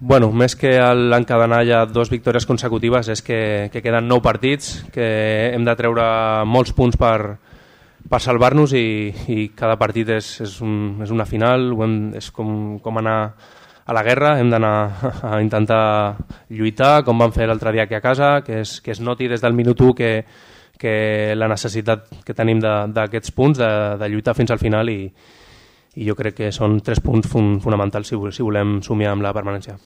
Bueno, més que l'encadenar ja 2 victòries consecutives és que queden 9 partits, que hem de treure molts punts per salvar-nos i cada partit és una final, és com anar a la guerra, hem d'anar a intentar lluitar, com vam fer l'altre dia aquí a casa, que es noti des del minut 1 que la necessitat que tenim d'aquests punts, de lluitar fins al final i jo crec que són 3 punts fonamentals si volem somiar amb la permanència.